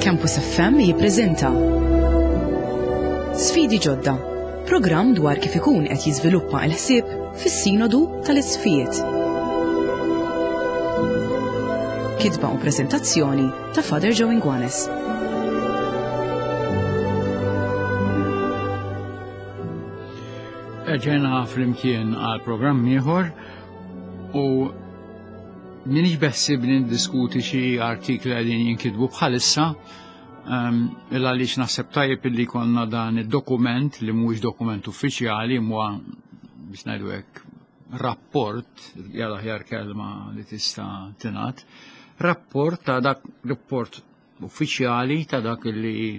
Campus FM jippreżenta Sfidi ġodda, programm dwar kif ikun qed jiżviluppa l-ħsieb fis-Sinodu tal-Isqfijiet. Kitba u preżentazzjoni ta' Father Joe Inguanes. Erġajna flimkien għal programm ieħor u minix beħsibni niddiskuti xi artikli qegħdin jinkitbu bħalissa ehm, il għaliex naħseb tajjeb illi konna dan id-dokument li mhuwiex dokument uffiċjali mwa biex ngħidu hekk rapport, jalla ħjar kelma li tista' tingħad, rapport ta' dak rapport uffiċjali ta' dak li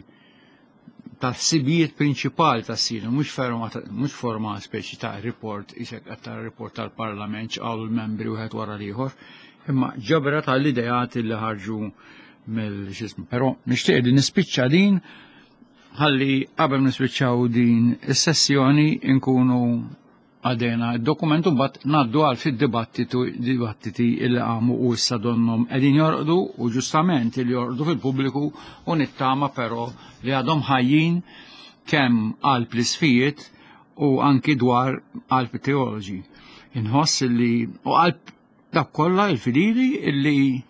tal-ħsibijiet prinċipali ta' sinu, mhux forma mhux forma speċi ta' report, isek qed tara report tal-Parlament x'qalu l-membri wieħed wara l-ieħor, imma ġabra tal-ideat li ħarġu mill-xismu. Però nixtieq li nispiċċa din ħalli qabel nispiċċaw din is-sessjoni nkunu Għadena d-dokument u mbagħad ngħaddu għal fid-dibattitu dibattiti li qamu u issa donhom qegħdin jorqdu u ġustament li jorqdu fil-pubbliku u nittama però li għadhom ħajjin kemm qalb l-isfijiet u anki dwar qalb teoloġi. Inħoss li u qalb Dawk kollha il-fidili illi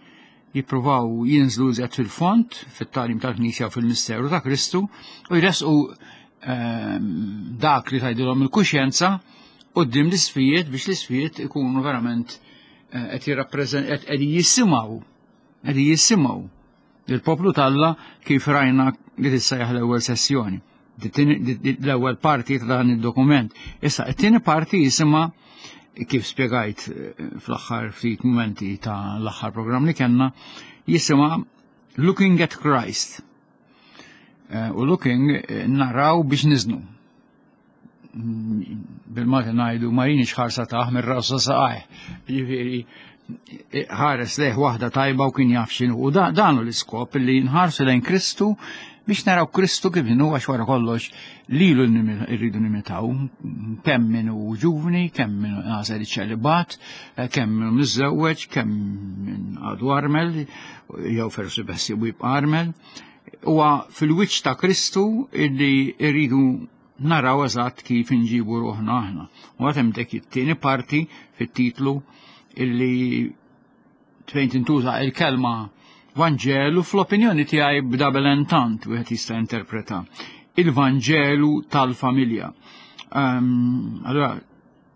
jippruvaw jinżlu iżjed fil-fond fit-tagħlim tal-Knisja u fil-misteru ta' Kristu u jresqu ehm, dak li tgħidilhom il-kuxjenza quddiem l-isfijiet biex l-isfijiet ikunu verament eh, qed jirrappreżent qed jisimgħu qed jisimgħu Il-poplu t'Alla kif rajna li tissejjaħ l-ewwel sessjoni. L-ewwel parti ta' dan id-dokument. Issa, it-tieni parti jisimha kif spjegajt eh, fl-aħħar ftit mumenti ta' l-aħħar programm li kellna, jisimha Looking at Christ. Eh, u looking eh, naraw biex niżnu. bil-Malti ngħidu ma jinix ħarsa taħ mir-rasa saqajh. Jiġifieri ħares lejh waħda tajba u kien jaf x'inhu. U dan hu l-iskop li nħarsu lejn Kristu biex naraw Kristu kif inhu għax wara kollox lilu rridu nimitaw kemm min hu ġuvni, kemm min għażel iċ-ċelibat, kemm min miżżewweġ, kemm min għadu armel, jew forsi beħsiebu jibqa' armel. Huwa fil-wiċċ ta' Kristu illi rridu naraw eżatt kif inġibu ruħna aħna. U għad hemm dik it-tieni parti fit-titlu illi fejn tintuża il-kelma Vanġelu fl-opinjoni tiegħi b'double entente wieħed jista' interpreta. Il-Vanġelu tal-familja. Um, allora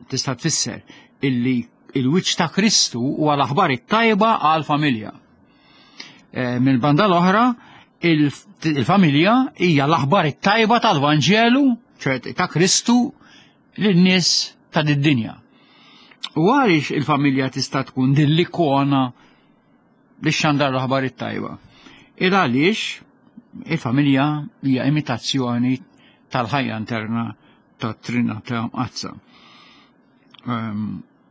tista' tfisser illi il-wiċċ ta' Kristu huwa l-aħbar it-tajba għal-familja. Eh, minn banda l-oħra, il-familja hija l-aħbar it-tajba tal-Vanġelu, ċert ta' Kristu, lin-nies ta' did-dinja. U għaliex il-familja tista' tkun din l-ikona li xandar l-aħbar it-tajba? Il għaliex il-familja hija imitazzjoni tal-ħajja interna tat-Trinità Mqaddsa. Ehm,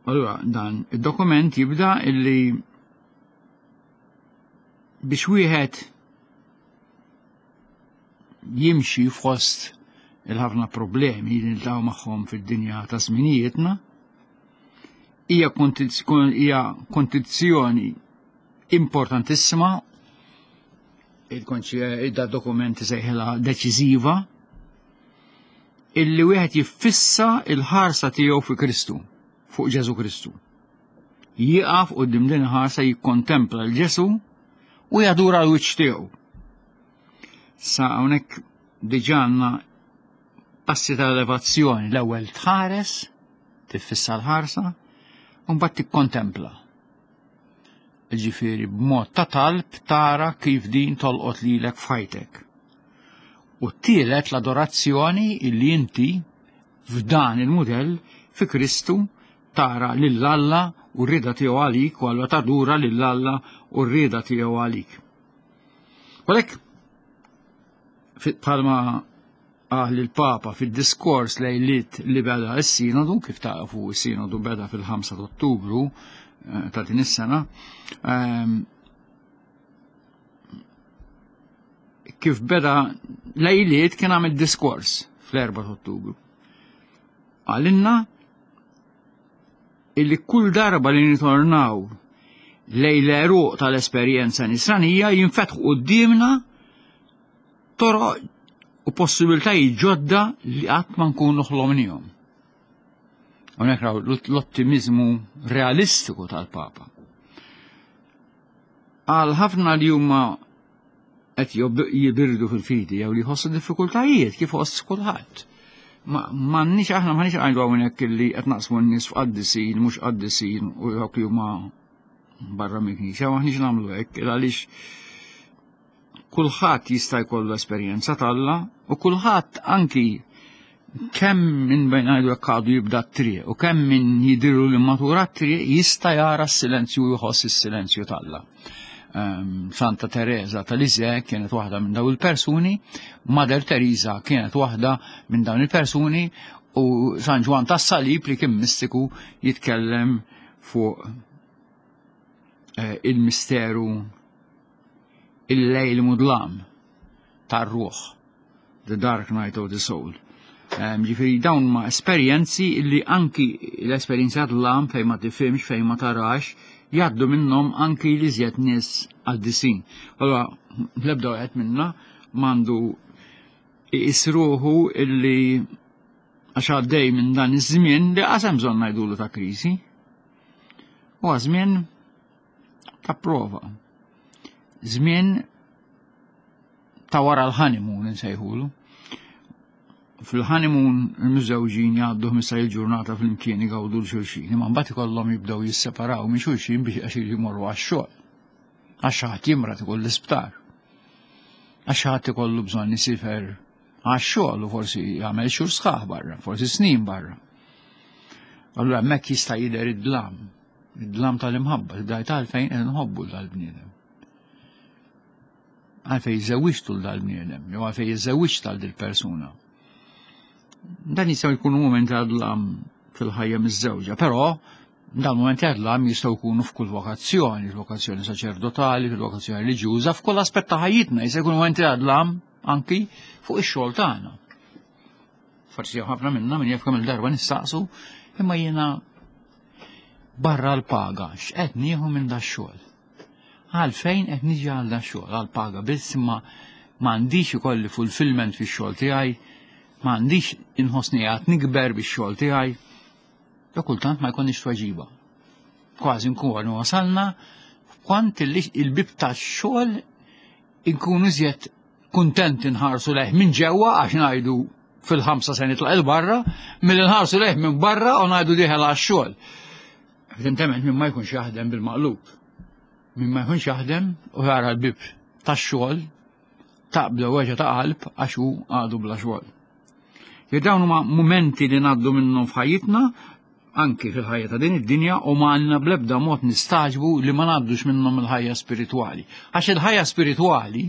allura dan id-dokument jibda illi biex wieħed jimxi fost il-ħafna problemi li niltaqgħu magħhom fid-dinja ta' żminijietna, hija kondizzjoni importantissima il-da dokumenti sejħilha deċiżiva illi wieħed jiffissa il-ħarsa tiegħu fi Kristu, fuq Ġesu Kristu. Jieqaf quddiem din il-ħarsa jikkontempla l Ġesu u jadura l-wiċċ tiegħu. Sa hawnhekk diġà għandna passi ta' elevazzjoni l-ewwel tħares, tiffissa l-ħarsa, u mbagħad tikkontempla. Ġifieri b'mod ta' talb tara kif din tolqot lilek f'ħajtek. U t-tielet l-adorazzjoni illi inti f'dan il-mudell fi Kristu tara lil Alla u r-rieda tiegħu għalik u allura tadura lil Alla u r-rieda tiegħu għalik. U għalhekk bħalma qal il-Papa fid-diskors lejliet li beda s-sinodu, kif tafu s-sinodu beda fil-5 ta' Ottubru eh, ta' din is-sena, ehm, kif beda lejliet kien għamil diskors fl-4 ta' Ottubru. Għalinna illi kull darba li nitornaw lej l-eruq tal-esperjenza nisranija jinfetħu quddiemna. toroq u possibiltajiet ġodda li qatt ma nkunu ħlomnihom. Hawnhekk raw l-ottimizmu realistiku tal-Papa. Għal ħafna li huma qed jibirdu fil-fidi jew li jħossu diffikultajiet kif ħoss kulħadd. Ma m'għandniex aħna m'għandniex ngħidu hawnhekk li qed naqsmu n-nies f'qaddisin, mhux qaddisin u dawk li huma barra mill-knisja, m'aħniex nagħmlu hekk għaliex kulħadd jista' jkollu esperjenza t'Alla u kulħadd anki kemm minn bejn ngħidu hekk għadu jibda t-triq u kemm min jidhiru li matura t-triq jista' jara s-silenzju u jħoss is-silenzju t'Alla. Ehm, Santa Teresa ta' Lisieux kienet waħda minn dawn il-persuni, Mother Teresa kienet waħda minn dawn il-persuni u San Ġwan tas-Salib li kien mistiku jitkellem fuq eh, il-misteru il-lejl mudlam tar-ruħ, the dark night of the soul. Ġifieri dawn ma esperjenzi li anki l-esperjenza dlam fejn ma tifhimx, fejn ma tarax, jgħaddu minnhom anki li żjed nies qaddisin. Allora, l-ebda wieħed minna m'għandu isruħu illi għax għaddej minn dan iż-żmien li qasem bżonn ngħidulu ta' kriżi. Huwa żmien ta' prova. Żmien ta' wara l-honeymoon insejħulu. Fil-honeymoon il-miżżewġin jgħaddu 15 il-ġurnata flimkien igawdu l-xulxin, imma mbagħad ikollhom jibdew jisseparaw minn xulxin biex għax jmorru għax-xogħol. Għax xi ħadd jimrad ikun l-isptar. Għax xi ħadd ikollu bżonn isifer għax-xogħol u forsi jagħmel xhur sħaħ barra, forsi snin barra. Allura hemmhekk jista' jidher id-dlam, id-dlam tal-imħabba, tibda għalfejn qed nħobbu dal-bniedem. Għalfejn żewwiġtu l dal-bniedem, jew għalfejn iżżewwiġt għal dil-persuna. Dan jistgħu jkunu mumenti ta' dlam fil-ħajja miż-żewġa, però dan mumenti ta' dlam jistgħu jkunu f'kull vokazzjoni, fil-vokazzjoni saċerdotali, fil-vokazzjoni reliġjuża, f'kull aspett ta' ħajjitna jista' jkunu mumenti ta' dlam anki fuq ix-xogħol tagħna. Forsi ħafna minna min jaf kemm il-darba nistaqsu, imma jiena barra l-paga, x'qed nieħu minn da xogħol? Għalfejn qed niġi għal da xogħol, għal paga biss imma m'għandix ikolli fulfillment fix-xogħol tiegħi, m'għandix inħossni qed nikber bix-xogħol tiegħi. Jo kultant ma jkollniex tweġiba. Kważi nkunu wasalna f'kont il-bib tax-xogħol inkunu iżjed kuntenti nħarsu lejh minn ġewwa għax ngħidu fil-ħamsa se nitlaq il-barra, milli nħarsu lejh minn barra u ngħidu dieħel għax-xogħol. Evidentement minn ma jkunx jaħdem bil-maqlub. Min ma jkunx jaħdem u jara l-bib tax-xogħol taqbda weġa ta' qalb għax hu għadu bla xogħol. Dawn huma mumenti li ngħaddu minnhom f'ħajjitna anki fil-ħajja ta' din id-dinja u ma għandna bl-ebda mod nistaġbu li ma ngħaddux minnhom il-ħajja spiritwali. Għax il-ħajja spiritwali,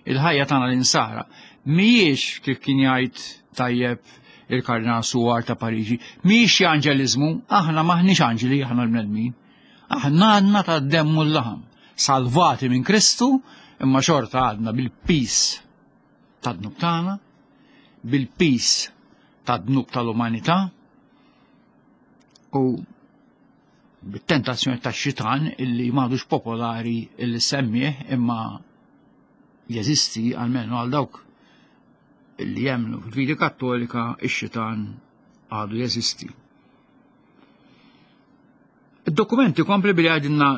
il-ħajja tagħna l-insara, mhijiex kif kien jgħid tajjeb il-Kardinal Suwar ta' Pariġi, mhijiex xi anġeliżmu, aħna maħniex anġeli aħna l-bnedmin. Aħna għandna ta' demm u l-laħam, salvati minn Kristu, imma xorta għadna bil-pis ta' dnub tagħna, bil-pis ta' dnub tal-umanità u bit-tentazzjoni ta' xitan illi m'għadux popolari illi semmih imma jeżisti għalmenu għal dawk illi jemmnu fil-fidi kattolika ix-xitan għadu jeżisti. Id-dokumenti kompli billi għadinna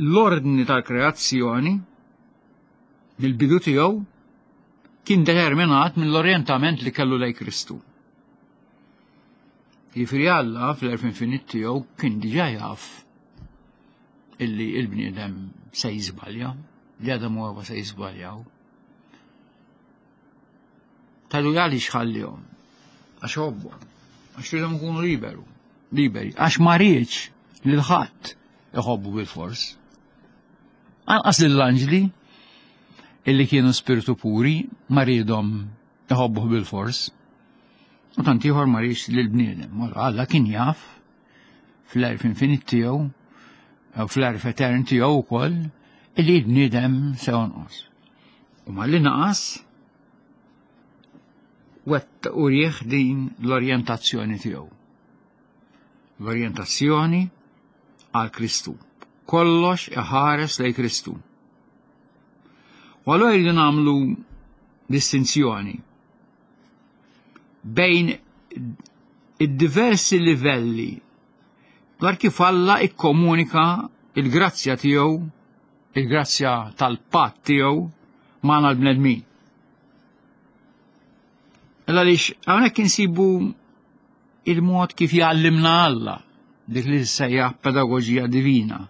l-ordni tal-kreazzjoni mill-bidu tiegħu kien determinat mill-orjentament li kellu lej Kristu. Jiġifieri Alla fl-erf infinit tiegħu kien diġà jaf illi il-bniedem se jiżbalja, li Adam u Eva se jiżbaljaw. Talu għaliex ħallihom? Għax ħobbhom, għax ridhom ikunu liberu, liberi, għax ma riedx lil ħadd iħobbu bil-fors. Anqas lill-anġli illi kienu spiritu puri ma riedhom iħobbuh bil-fors. U tant ieħor ma riedx lill-bniedem. Alla kien jaf fl-erf infinit tiegħu, fl-erf etern tiegħu wkoll, illi l-bniedem se jonqos. U malli naqas, wett u rieħ din l-orjentazzjoni tiegħu. L-orjentazzjoni għal Kristu. Kollox iħares lej Kristu. U allura jridu nagħmlu distinzjoni bejn id-diversi livelli dwar kif Alla ikkomunika il-grazzja tiegħu, il-grazzja tal-patt tiegħu magħna l-bnedmin. Illa għaliex hawnhekk insibu il-mod kif jgħallimna Alla, dik li sejjaħ pedagoġija divina,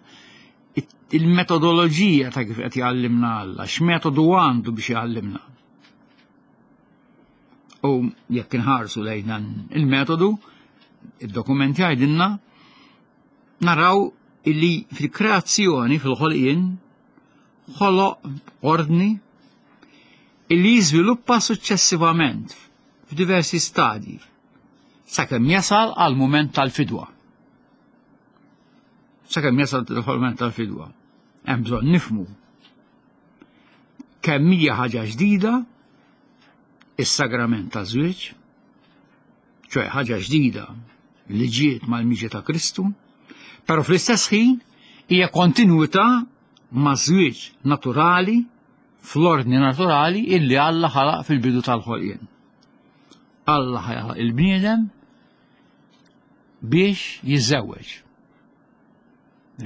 il-metodoloġija ta' kif qed jgħallimna Alla, x'metodu għandu biex jgħallimna. U jekk inħarsu lejn dan il-metodu, id-dokument jgħidilna naraw illi fil-kreazzjoni, fil-ħolqien, ħoloq ordni illi jiżviluppa suċċessivament f'diversi stadji sakemm jasal għal mument tal-fidwa. Sakemm jasal għal mument tal-fidwa. Hemm bżonn nifmu kemm hija ħaġa ġdida is-sagrament ta' żwieġ, ċoe ħaġa ġdida li ġiet mal-miġja ta' Kristu, però fl-istess ħin hija kontinwità ma' żwieġ naturali fl-ordni naturali illi Alla ħalaq fil-bidu tal-ħolqien. Alla ħalaq il-bniedem biex jiżżewweġ.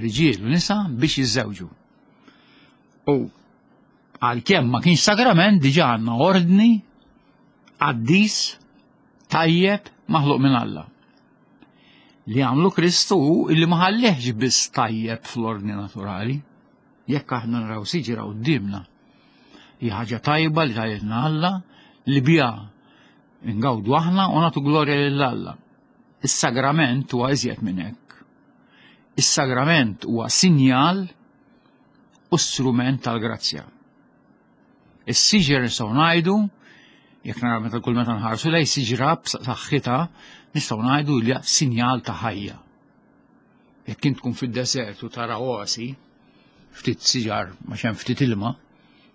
Riġiel u nisa biex jiżżewġu. U għalkemm ma kienx sagrament diġà għandna ordni qaddis tajjeb maħluq minn Alla. Li għamlu Kristu hu illi ma ħallihx biss tajjeb fl-ordni naturali. Jekk aħna naraw siġra quddiemna, hija ħaġa tajba li tajjebna Alla li biha ngawdu aħna u nagħtu glorja lil Alla. Is-sagrament huwa iżjed minn hekk. Is-sagrament huwa sinjal u strument tal-grazzja. Is-siġer nistgħu ngħidu, jekk naraw meta kull meta nħarsu lej siġra b'saħħitha, nistgħu ngħidu li sinjal ta' ħajja. Jekk int tkun fid-deżert u tara oasi, ftit siġar ma hemm ftit ilma,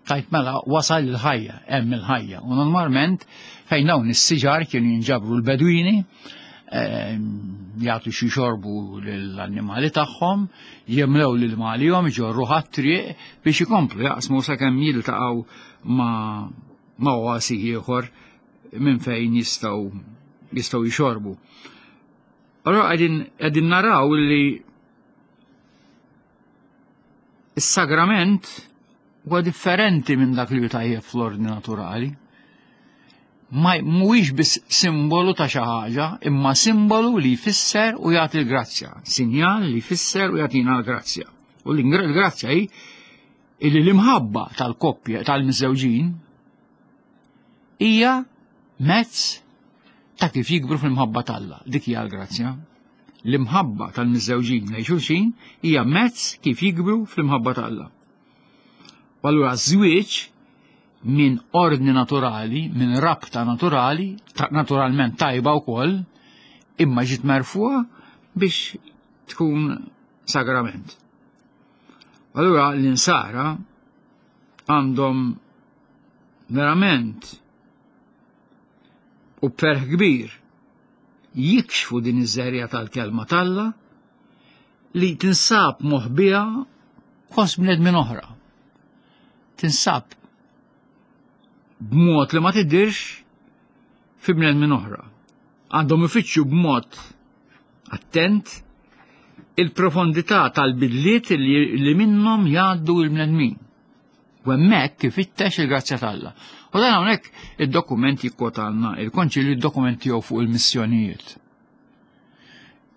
tajt mela wasal il-ħajja, hemm il-ħajja. U normalment fejn dawn is-siġar kienu jinġabru l-bedwini, ehm, jagħtu xi xorbu lill-annimali tagħhom, jimlew l-ilma għalihom, iġorru ħat-triq biex ikomplu jaqsmu sakemm jiltaqgħu ma' ma' oasi ieħor minn fejn jistgħu jistgħu jxorbu. Allora qegħdin naraw li is-sagrament huwa differenti minn dak li hu tajjeb fl-ordni naturali. Ma mhuwiex biss simbolu ta' xi ħaġa, imma simbolu li jfisser u jagħti l-grazzja, sinjal li jfisser u jagħtina l-grazzja. U l-grazzja hi illi l-imħabba tal-koppja tal-miżżewġin hija mezz ta' kif jikbru fl-imħabba t'Alla. Dik hija l-grazzja. L-imħabba tal-miżżewġin lejn xulxin hija mezz kif jikbru fl-imħabba t'Alla. U allura żwieġ minn ordni naturali, minn rabta naturali, ta naturalment tajba wkoll, imma ġiet merfuha biex tkun sagrament. Allura l-insara għandhom verament u b'ferħ kbir jikxfu din iż-żerja tal-kelma t'Alla li tinsab moħbija fost bnedmin oħra. Tinsab b'mod li ma tiddirx fi bnedmin oħra. Għandhom ifittxu b'mod attent il-profondità tal-bidliet li minnhom jgħaddu l-bnedmin. U hemmhekk ifittex il-grazzja t'Alla. U dan hawnhekk id-dokument jikkwotalna il-konċilju d-dokument tiegħu fuq il-missjonijiet.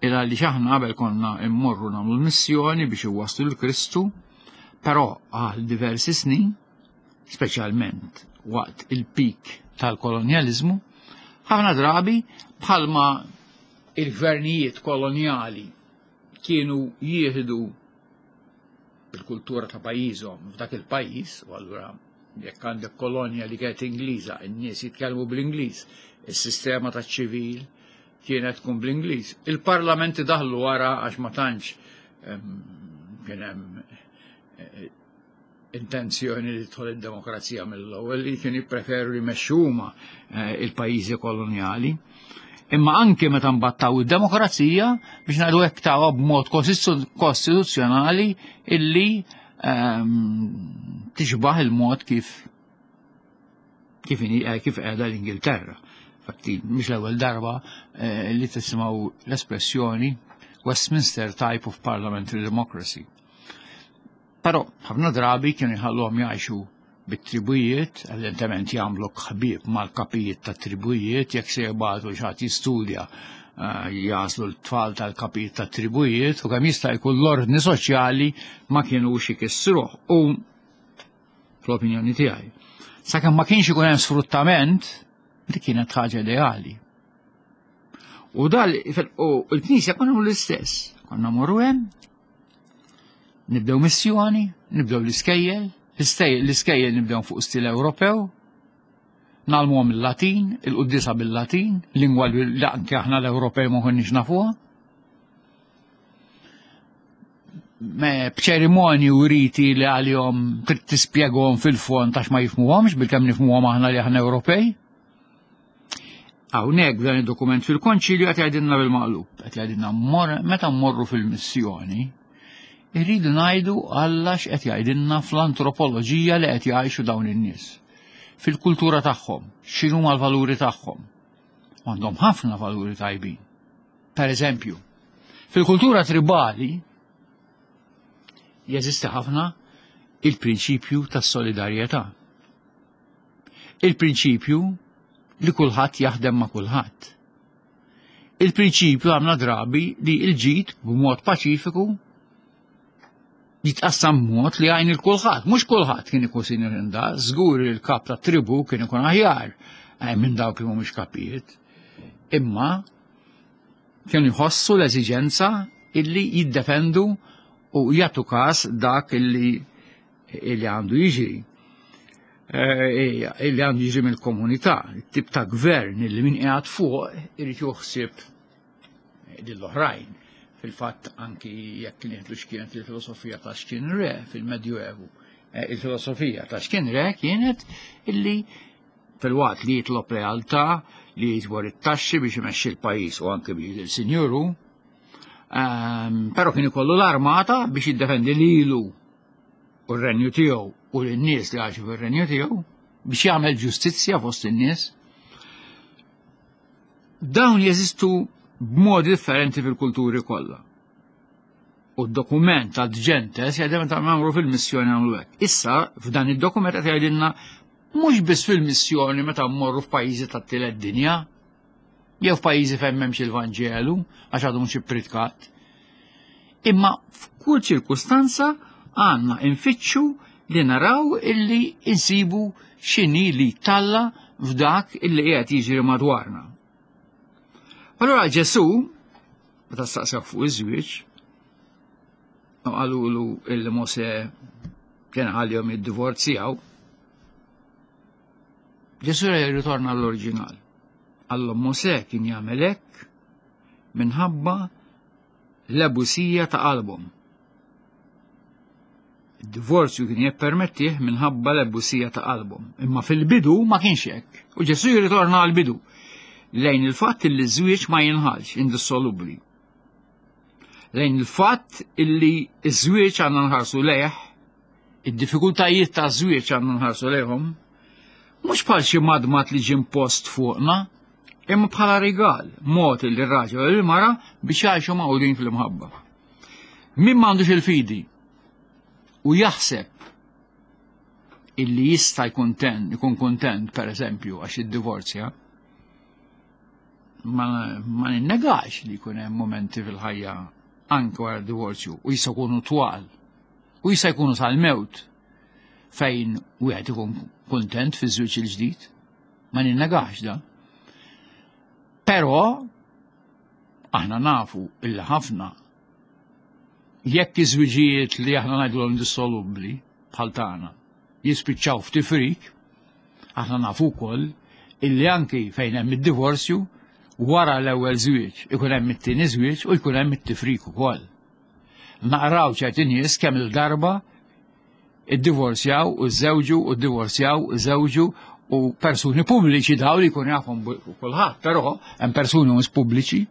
Il għaliex aħna qabel konna immorru nagħmlu l-missjoni biex iwasslu l-Kristu, però għal diversi snin, speċjalment waqt il-pik tal-kolonjaliżmu, ħafna drabi bħalma il-gvernijiet kolonjali kienu jieħdu il-kultura ta' pajjiżhom f'dak il-pajjiż, u allura jekk għandek kolonja li kienet Ingliża, in-nies jitkellmu bl-Ingliż, is-sistema taċ-ċivil kienet tkun bl-Ingliż. Il-parlamenti daħlu wara għax ma tantx kien hemm eh, intenzjoni li tħol id-demokrazija mill-ewwel li kien jippreferu li jmexxu huma eh, il-pajjiżi kolonjali. Imma anke meta mbattaw id-demokrazija biex ngħidu hekk tawha b'mod kostituzzjonali illi ehm, tixbaħ il-mod kif Kif inhi eh, kif qiegħda l-Ingilterra. Fatti, mhux l-ewwel darba eh, li tisimgħu l-espressjoni Westminster type of parliamentary democracy. Però ħafna drabi kienu jħalluhom jgħixu bit-tribujiet, evidentement jagħmlu ħbieb mal-kapijiet ta' tribujiet, jekk se jibgħatu xi jistudja eh, jaslu l-tfal tal-kapijiet ta' tribujiet u kemm jista' jkun l-ordni soċjali ma kienux ikissruh. U fl-opinjoni tiegħi. Sakemm ma kienx ikun hemm sfruttament, dik kienet ħaġa ideali. U dal u l-Knisja konna l-istess, konna morru hemm, nibdew missjoni, nibdew l-iskejjel, l-iskejjel nibdew fuq stil Ewropew, nagħlmuhom il-Latin, il-quddisa bil-Latin, lingwa li anke aħna l-Ewropej ma konniex nafuha. B'ċerimonji u riti li għalihom trid tispjegahom fil-fond għax ma jifmuhomx bilkemm nifmuhom aħna li aħna Ewropej. Hawnhekk f'dan id-dokument fil-konċilju qed jgħidilna bil-maqlub, qed jgħidilna meta mmorru fil-missjoni, irridu ngħidu Alla x'qed jgħidilna fl-antropoloġija li qed jgħixu dawn in-nies. Fil-kultura tagħhom, x'inhuma l-valuri tagħhom. Għandhom ħafna valuri tajbin. Per eżempju, fil-kultura tribali jeżisti ħafna il-prinċipju tas-solidarjetà. Il-prinċipju li kulħadd jaħdem ma' kulħadd. Il-prinċipju għamna drabi li l-ġid b'mod paċifiku jitqassam b'mod li għajn il-kulħadd. Mhux kulħadd kien ikun sinjur inda, żgur li l-kap ta' tribu kien ikun aħjar eh, minn dawk li mhumiex kapijiet. Imma kienu jħossu l-eżiġenza illi jiddefendu u jagħtu każ dak illi illi għandu jiġri eh, illi għandu jiġri mill-komunità, tip ta' gvern illi min qiegħed fuq irid juħsib lill-oħrajn. Fil-fatt anki jekk nieħdu x'kienet il-filosofija ta' x'kien re fil-Medjuevu. Eh, il-filosofija ta' x'kien re kienet illi fil-waqt li jitlob lealtà, li jiġbor it-taxxi biex imexxi l-pajjiż u anke biex il-sinjuru, ehm, però kien ikollu l-armata biex jiddefendi lilu u r-renju tiegħu u lin-nies li għaxu fir-renju tiegħu biex jagħmel ġustizzja fost in-nies. Dawn jeżistu b'modi differenti fil-kulturi kollha. U d-dokument ta' Gentes jgħidem ta' nagħmlu fil-missjoni nagħmlu hekk. Issa f'dan id-dokument qed jgħidilna mhux biss fil-missjoni meta mmorru f'pajjiżi tat-tielet dinja, jew f'pajjiżi fejn m'hemmx il-Vanġelu għax għadu mhux ippritkat. Imma f'kull ċirkustanza għandna infittxu li naraw illi insibu x'inhi li talla f'dak illi qiegħed jiġri madwarna. Allura Ġesù, meta staqsew fuq iż-żwieġ, qalulu illi Mosè kien ħalihom jiddivorzjaw, Ġesù jirritorna l-oriġinal. Għallhom Mosè kien jagħmel hekk minħabba l-ebusija ta' qalbhom. Id-divorzju kien jippermettih minħabba l-ebusija ta' qalbhom. Imma fil-bidu ma kienx hekk. U Ġesù jirritorna għall-bidu lejn il-fatt li ż-żwieġ ma jinħalx indissolubbli. Lejn il-fatt illi ż-żwieġ għandna nħarsu lejh Id-diffikultajiet ta' żwieġ għandna nħarsu lejhom mhux bħal xi madmad li ġie impost fuqna, imma bħala rigal, mod li r-raġel u l-mara biex jgħixu magħqudin fl-imħabba. Min m'għandux il-fidi u jaħseb illi jista' jkun ten, ikun kuntent per eżempju għax id-divorzja, ma, ma ninnegax li jkun hemm momenti fil-ħajja anke wara d-divorzju u jista' jkunu twal u jista' jkunu sal-mewt fejn wieħed ikun kuntent fiż-żwieġ il-ġdid. Ma ninnegax da. Però aħna nafu illi ħafna jekk iż-żwiġijiet li aħna ngħidulhom dissolubbli bħal tagħna jispiċċaw f'tifrik, aħna nafu wkoll illi anki fejn hemm id-divorzju wara l-ewwel żwieġ ikun hemm it-tieni żwieġ u jkun hemm it-tifrik ukoll. Naqraw ċerti nies kemm il-darba iddivorzjaw u żewġu u ddivorzjaw u żewġu u persuni pubbliċi daw li jkun jafhom kulħadd, però hemm persuni mhux pubbliċi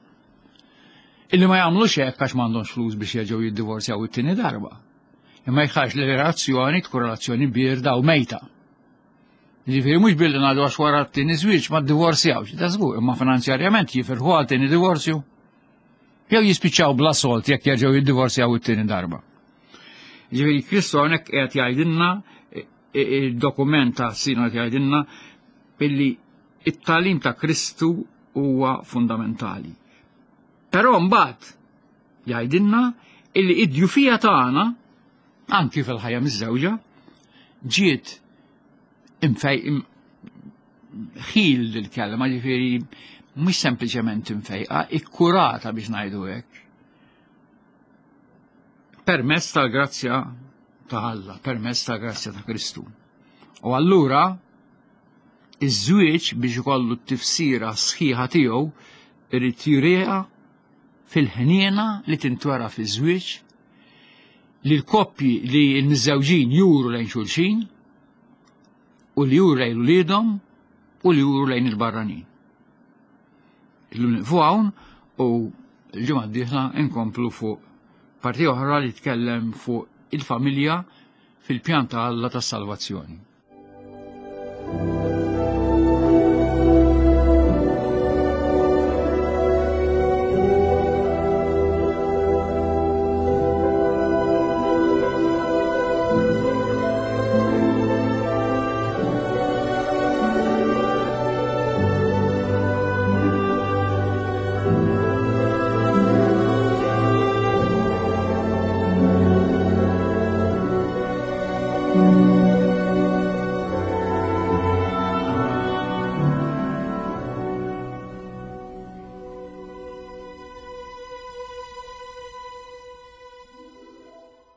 illi ma jagħmlux hekk għax m'għandhomx flus biex jerġgħu jiddivorzjaw it-tieni darba. Imma jħarx li relazzjoni tkun relazzjoni birda u mejta. Ġifieri mhux billi ngħidu għax wara t-tieni żwieġ ma ddivorzjawx, da żgur, imma finanzjarjament jifirħu għal tieni divorzju. Jew jispiċċaw bla solt jekk jerġgħu jiddivorzjaw it-tieni darba. Ġifieri Kristu hawnhekk qiegħed jgħidilna il-dokument ta' sinod jgħidilna billi it-tagħlim ta' Kristu huwa fundamentali. Però mbagħad jgħidilna illi id-djufija tagħna anki fil-ħajja miż-żewġa ġiet imfej ħil l-kelma ġifieri mhux sempliċement imfejqa, ikkurata biex ngħidu hekk. Permezz tal-grazzja ta' Alla, permezz tal-grazzja ta' Kristu. U allura iż-żwieġ biex ikollu t-tifsira sħiħa tiegħu irid juriha fil-ħniena li tintwera fiż-żwieġ li l-koppji li l-miżżewġin juru lejn xulxin u li juru lejn uliedhom u li juru lejn il-barranin. Illum nieqfu hawn u l-ġimgħa d-dieħla nkomplu fuq parti oħra li tkellem fuq il-familja fil-pjan ta' Alla tas-salvazzjoni.